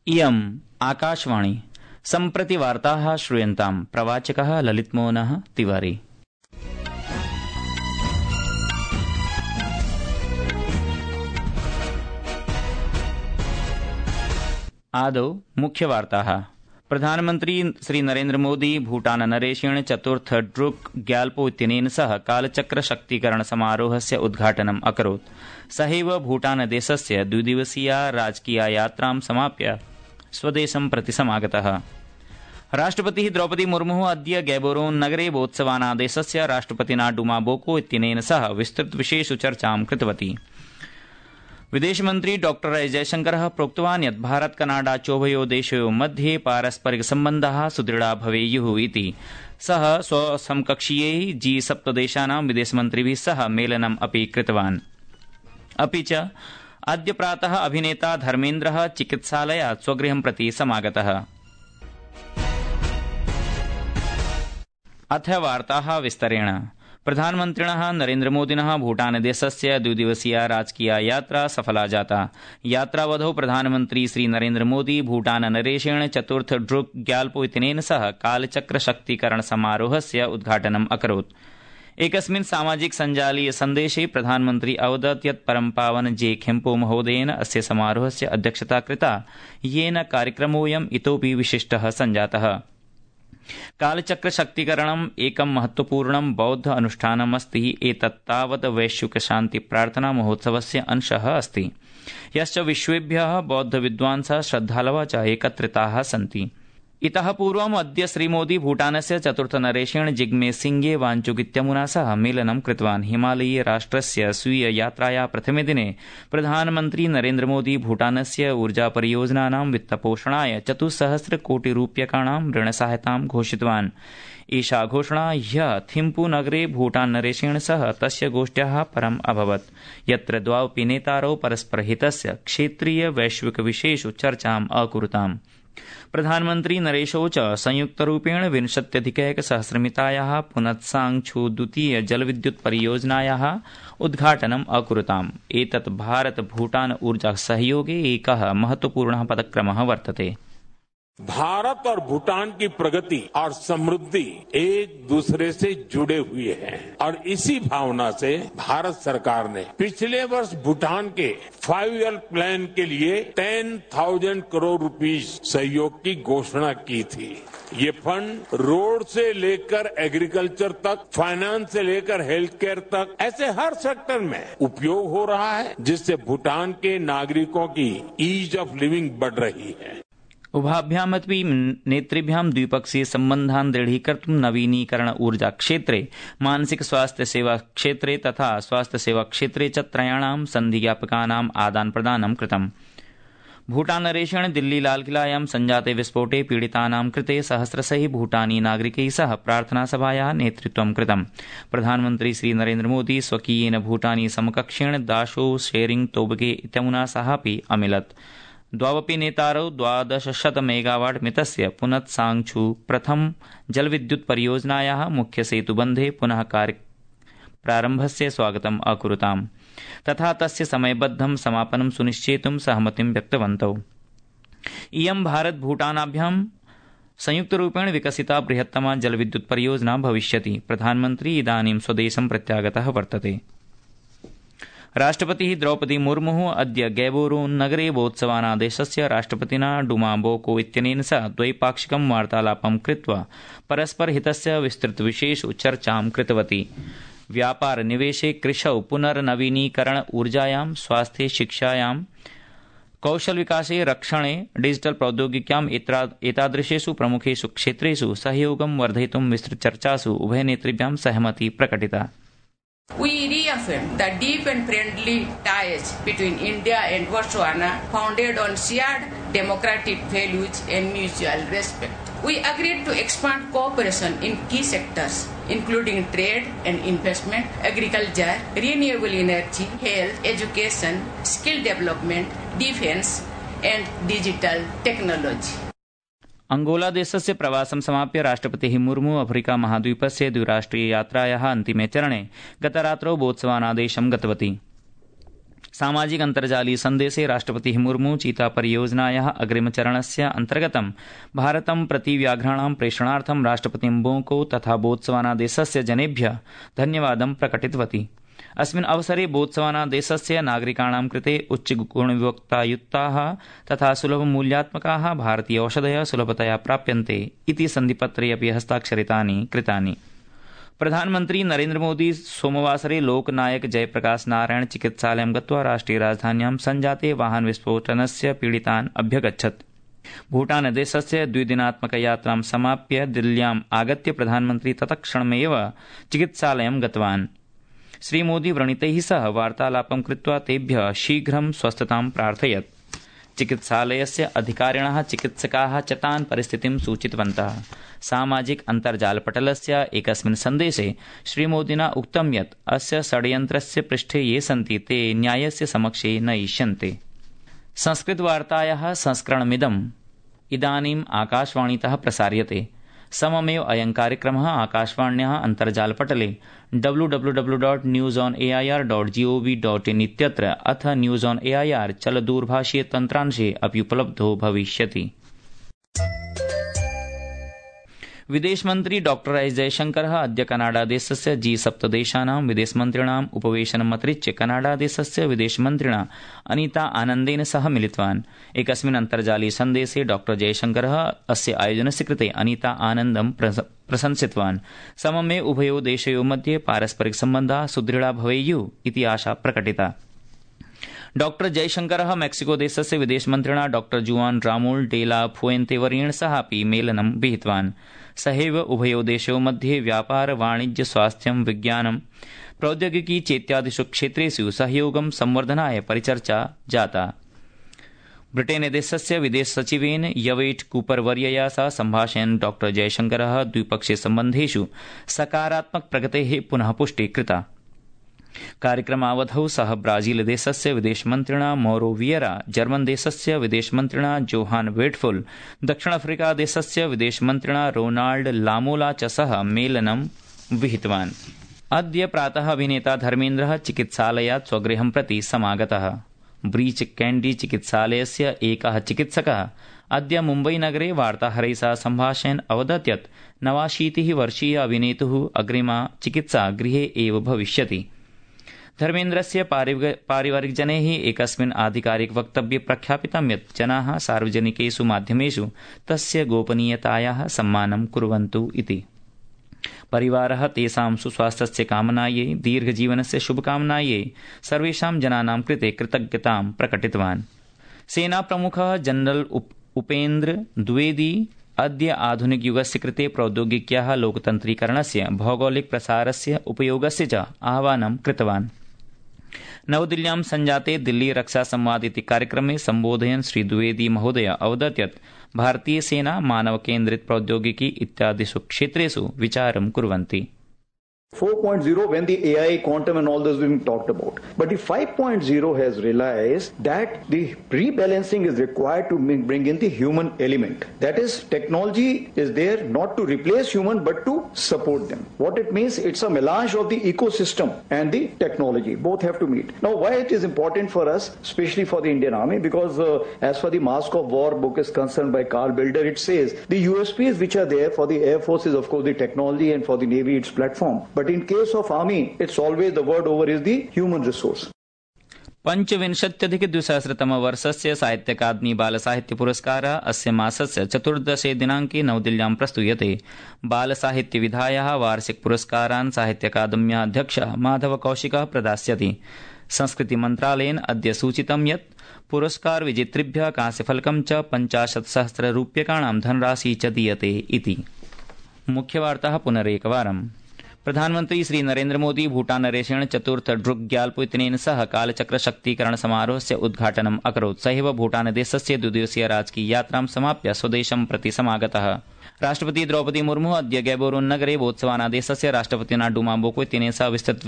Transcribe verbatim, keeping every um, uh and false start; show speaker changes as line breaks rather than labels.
इयम् आकाशवाणी। सम्प्रति वार्ताः श्रूयन्ताम्। प्रवाचकः ललितमोहनः तिवारी। आदौ मुख्यवार्ताः। प्रधानमन्त्री श्री नरेन्द्र मोदी भूटान नरेशेन चतुर्थ ड्रुक ग्याल्पो इत्यनेन सह कालचक्र शक्तीकरण समारोहस्य उद्घाटनम् अकरोत्। सहैव भूटान देशस्य द्विदिवसीया राजकीया यात्रां समाप्य स्वदेशं प्रति समागतः। राष्ट्रपतिः द्रौपदी मुर्मुः अद्य गैबोरोन नगरे बोत्सवाना देशस्य राष्ट्रपतिना डुमा बोको इत्यनेन सह विस्तृत विशेष चर्चां कृतवती। विदेशमन्त्री डॉक्टर एस जयशंकरः प्रोक्तवान् यत् भारत कनाडा चोभयोः देशयोः मध्ये पारस्परिक सम्बन्धाः सुदृढा भवेयुः इति। सः स्वसमकक्षीयैः जी सप्त देशानां विदेशमन्त्रिभिः सह मेलनम् अपि कृतवान्। अपि च अद्य प्रातः अभिनेता धर्मेन्द्रः चिकित्सालयात् स्वगृहं प्रति समागतः। अथ वार्ताः विस्तरेण। प्रधानमन्त्रिणः नरेन्द्रमोदिनः भूटानदेशस्य द्विदिवसीया राजकीया यात्रा सफला जाता। यात्रावधौ प्रधानमन्त्री श्री नरेन्द्रमोदी भूटान नरेशेन चतुर्थ ड्रुक ग्याल्पो इत्यनेन सह कालचक्र शक्तीकरण समारोहस्य उद्घाटनम् अकरोत्। एकस्मिन् सामाजिक सञ्जालीय सन्देशे प्रधानमन्त्री अवदत् यत् परमपावन जे खेम्पो महोदयेन अस्य समारोहस्य अध्यक्षता कृता, येन कार्यक्रमोऽयम् इतोपि विशिष्टः सञ्जातः। कालचक्र शक्तीकरणम् एकं महत्वपूर्णं बौद्ध अनुष्ठानम् अस्ति। एतत् तावत् वैश्विक शान्ति प्रार्थना महोत्सवस्य अंशः अस्ति, यश्च विश्वेभ्यः बौद्ध विद्वांसः श्रद्धालवः च एकत्रिताः सन्ति। इतः पूर्वम् अद्य श्रीमोदी भूटानस्य चतुर्थ नरेशेन जिग्मे सिंगे वांचुक इत्यमुना सह मेलनं कृतवान्। हिमालयीय राष्ट्रस्य स्वीय यात्राया प्रथमे दिने प्रधानमन्त्री नरेन्द्र मोदी भूटानस्य ऊर्जा परियोजनानां वित्तपोषणाय चतुस्सहस्र कोटि रूप्यकाणां ऋणसहायतां घोषितवान्। एषा घोषणा ह्यः थिम्पू नगरे भूटान नरेशेन सह तस्य गोष्ठ्याः परम् अभवत्, यत्र द्वावपि नेतारौ परस्परहितस्य क्षेत्रीय वैश्विक विषयेषु चर्चाम् अकुरुताम्। प्रधानमन्त्री नरेशौ च संयुक्तरूपेण विंशत्यधिकैकसहस्रमितायाः पुनत्सांगछू द्वितीय जलविद्युत् परियोजनायाः उद्घाटनम् अकुरुताम्। एतत् भारत भूटान ऊर्जा सहयोगे एकः महत्वपूर्णः पदक्रमः वर्तते।
भारत और भूटान की प्रगति और समृद्धि एक दूसरे से जुड़े हुए हैं और इसी भावना से भारत सरकार ने पिछले वर्ष भूटान के फाइव ईयर प्लान के लिए टेन थाउजेंड करोड़ रुपीस सहयोग की घोषणा की थी। ये फंड रोड से लेकर एग्रीकल्चर तक, फाइनेंस से लेकर हेल्थ केयर तक, ऐसे हर सेक्टर में उपयोग हो रहा है, जिससे भूटान के नागरिकों की ईज ऑफ लिविंग बढ़ रही है।
उभाभ्यामपि नेतृभ्यां द्विपक्षीय सम्बन्धान् दृढीकर्तुं नवीनीकरण ऊर्जा क्षेत्रे, मानसिक स्वास्थ्य सेवा क्षेत्रे तथा स्वास्थ्य सेवा क्षेत्रे च त्रयाणां सन्धिज्ञापकानाम् आदान प्रदानं कृतम्। भूटान नरेशेन दिल्ली लालकिलायां सञ्जाते विस्फोटे पीडितानां कृते सहस्रशः भूटानी नागरिकैः सह प्रार्थनासभायाः नेतृत्वं कृतम्। प्रधानमन्त्री श्री नरेन्द्र मोदी स्वकीयेन भूटानी समकक्षेण दाशो शेरिंग तोबगे इत्यमुना सह अपि अमिलत्। द्वावपि नेतारौ द्वादशशत मेगावाट् मितस्य पुनत्सांगछू प्रथम जलविद्युत् परियोजनायाः मुख्यसेतुबन्धे पुनः कार्य प्रारम्भस्य स्वागतम् अकुरुताम् तथा तस्य समयबद्धं समापनं सुनिश्चेतुं सहमतिं व्यक्तवन्तौ। इयं भारत भूटानाभ्यां संयुक्तरूपेण विकसिता बृहत्तमा जलविद्युत् परियोजना भविष्यति। प्रधानमन्त्री इदानीं स्वदेशं प्रत्यागतः वर्तते। राष्ट्रपतिः द्रौपदी मुर्मुः अद्य गैबोरोन नगरे बोत्सवाना देशस्य राष्ट्रपतिना डुमा बोको इत्यनेन सह द्वैपाक्षिकं वार्तालापं कृत्वा परस्परहितस्य विस्तृतविषयेषु चर्चां कृतवती। व्यापार निवेशे, कृषौ, पुनर्नवीनीकरण ऊर्जायां, स्वास्थ्ये, शिक्षायां, कौशल विकासे, रक्षणे, डिजिटल प्रौद्योगिक्याम् एतादृशेषु प्रमुखेषु क्षेत्रेषु सहयोगं वर्धयितुं विस्तृतचर्चासु उभयनेतृभ्यां सहमति प्रकटिता।
We reaffirm the deep and friendly ties between India and Botswana founded on shared democratic values and mutual respect. We agreed to expand cooperation in key sectors, including trade and investment, agriculture, renewable energy, health, education, skill development, defense, and digital technology.
Angola देशस्य प्रवासं समाप्य राष्ट्रपतिः Murmu Africa महाद्वीपस्य द्विराष्ट्रिय यात्रायाः अन्तिमे चरणे गतरात्रौ Botswana देशं गतवती। सामाजिक अन्तर्जालीय सन्देशे राष्ट्रपतिः मुर्मू चीता परियोजनायाः अग्रिमचरणस्य अन्तर्गतं भारतं प्रति व्याघ्राणां प्रेषणार्थं राष्ट्रपतिं बोको तथा बोत्सवाना देशस्य जनेभ्यः धन्यवादं प्रकटितवती। अस्मिन् अवसरे बोत्सवाना देशस्य नागरिकाणां कृते उच्चगुणयुक्ताः तथा सुलभमूल्यात्मकाः भारतीय औषधयः सुलभतया प्राप्यन्ते इति सन्धिपत्रे अपि हस्ताक्षरितानि कृतानि। प्रधानमन्त्री नरेन्द्रमोदी सोमवासरे लोकनायक जयप्रकाश नारायण चिकित्सालयं गत्वा राष्ट्रिय राजधान्यां सञ्जाते वाहन विस्फोटनस्य पीडितान् अभ्यगच्छत्। भूटानदेशस्य द्विदिनात्मकयात्रां समाप्य दिल्ल्याम् आगत्य प्रधानमन्त्री तत्क्षणमेव चिकित्सालयं गतवान्। श्रीमोदी व्रणितैः सह वार्तालापं कृत्वा तेभ्यः शीघ्रं स्वस्थतां प्रार्थयत्। चिकित्सालयस्य अधिकारिणः चिकित्सकाः च तान् परिस्थितिं सूचितवन्तः। सामाजिक अन्तर्जालपटलस्य एकस्मिन् सन्देशे श्रीमोदिना उक्तं यत् अस्य षड्यन्त्रस्य पृष्ठे ये सन्ति ते न्यायस्य समक्षे नयिष्यन्ते। संस्कृतवार्तायाः संस्करणमिदम् इदानीम् आकाशवाणीतः प्रसार्यते। सममेव अयं कार्यक्रमः आकाशवाण्याः अन्तर्जालपटले W W W dot news on A I R dot G O V dot in इत्यत्र अथ news on A I R चलदूरभाषीय तन्त्रांशे अपि उपलब्धो भविष्यति। विदेशमन्त्री डॉक्टर एस जयशंकरः अद्य कनाडादेशस्य जी सप्त देशानां विदेशमन्त्रिणाम् उपवेशनमतिरिच्य कनाडादेशस्य विदेशमन्त्रिणा अनीता आनन्देन सह मिलितवान्। एकस्मिन् अन्तर्जालीय सन्देशे डॉक्टर जयशंकरः अस्य आयोजनस्य कृते अनीता आनन्दं प्रशंसितवान्। सममेव उभयोः देशयोः मध्ये पारस्परिक सम्बन्धाः सुदृढा भवेयुः इति आशा प्रकटिता। डॉक्टर जयशंकरः मेक्सिको देशस्य विदेशमन्त्रिणा डॉक्टर जुआन रामोल डे ला फुएन्ते वर्येण सह अपि मेलनं विहितवान्। सहैव उभयोः देशयोः मध्ये व्यापार वाणिज्य स्वास्थ्यं विज्ञानं प्रौद्योगिकी चेत्यादिषु क्षेत्रेषु सहयोगं संवर्धनाय परिचर्चा जाता। ब्रिटेन देशस्य विदेश सचिवेन यवेट कूपर वर्यया सह सम्भाषयन् डॉक्टर जयशंकरः द्विपक्षीय सम्बन्धेषु सकारात्मक प्रगतेः पुनः पुष्टिः कृता। कार्यक्रमावधौ सः ब्राजील देशस्य विदेशमन्त्रिणा मौरो वियरा, जर्मन देशस्य विदेशमन्त्रिणा जोहान वेटफुल, दक्षिण अफ्रीका देशस्य विदेशमन्त्रिणा रोनाल्ड लामोला च सह मेलनं विहितवान्। अद्य प्रातः अभिनेता धर्मेन्द्रः चिकित्सालयात् स्वगृहं प्रति समागतः। ब्रीच कैंडी चिकित्सालयस्य एकः चिकित्सकः अद्य मुम्बईनगरे वार्ताहरैः सह सम्भाषयन् अवदत् यत् नवाशीतिः वर्षीय अभिनेतुः अग्रिमा चिकित्सा गृहे एव भविष्यति। धर्मेन्द्रस्य पारिवारिकजनैः एकस्मिन् आधिकारिक वक्तव्ये प्रख्यापितं यत् जनाः सार्वजनिकेषु माध्यमेषु तस्य गोपनीयतायाः सम्मानं कुर्वन्तु इति। परिवारः तेषां सुस्वास्थ्यस्य कामनायै दीर्घजीवनस्य शुभकामनायै सर्वेषां जनानां कृते कृतज्ञतां प्रकटितवान्। सेनाप्रमुखः जनरल उपेन्द्र द्विवेदी अद्य आधुनिकयुगस्य कृते प्रौद्योगिक्याः लोकतन्त्रीकरणस्य भौगोलिक प्रसारस्य उपयोगस्य च आह्वानं कृतवान्। नवदिल्ल्यां सञ्जाते दिल्ली रक्षा संवाद इति कार्यक्रमे सम्बोधयन् श्री द्विवेदी महोदय अवदत् यत् भारतीय सेना मानव केन्द्रित प्रौद्योगिकी इत्यादिषु क्षेत्रेषु विचारं कुर्वन्ति।
four point oh when the A I, quantum and all those being talked about. But the five point oh has realized that the rebalancing is required to bring in the human element. That is, technology is there not to replace human but to support them. What it means, it's a melange of the ecosystem and the technology. Both have to meet. Now, why it is important for us, especially for the Indian Army, because uh, as for the Mask of War book is concerned by Carl Bilder, it says the U S Ps which are there for the Air Force is of course the technology and for the Navy its platform. But in case of Army, it's always the word over is the human resource.
पंचविंशत्यधिक द्विसहस्रतमवर्षस्य साहित्य अकादमी बालसाहित्य पुरस्कारः अस्य मासस्य चतुर्दशे दिनाङ्के नवदिल्ल्यां प्रस्तूयते। बालसाहित्य विधायाः वार्षिक पुरस्कारान् साहित्य अकादम्याः अध्यक्षः माधव कौशिकः प्रदास्यति। संस्कृति मन्त्रालयेन अद्य सूचितं यत् पुरस्कार विजेतृभ्यः कांस्यफलकं च पञ्चाशत् सहस्र रूप्यकाणां धनराशि च दीयते इति। मुख्यवार्ताः पुनरेकवारम्। प्रधानमन्त्री श्री नरेन्द्र मोदी भूटानदेशेन चतुर्थ ड्रुक ग्याल्पो इत्यनेन सह कालचक्र शक्तीकरण समारोहस्य उद्घाटनम् अकरोत्। सहैव भूटानदेशस्य द्विदिवसीय राजकीय यात्रां समाप्य स्वदेशं प्रति समागतः। राष्ट्रपति द्रौपदी मुर्मु अद्य गैबोरोन् नगरे बोत्सवाना देशस्य राष्ट्रपतिना डूमा बोको इत्यनेन सह विस्तृत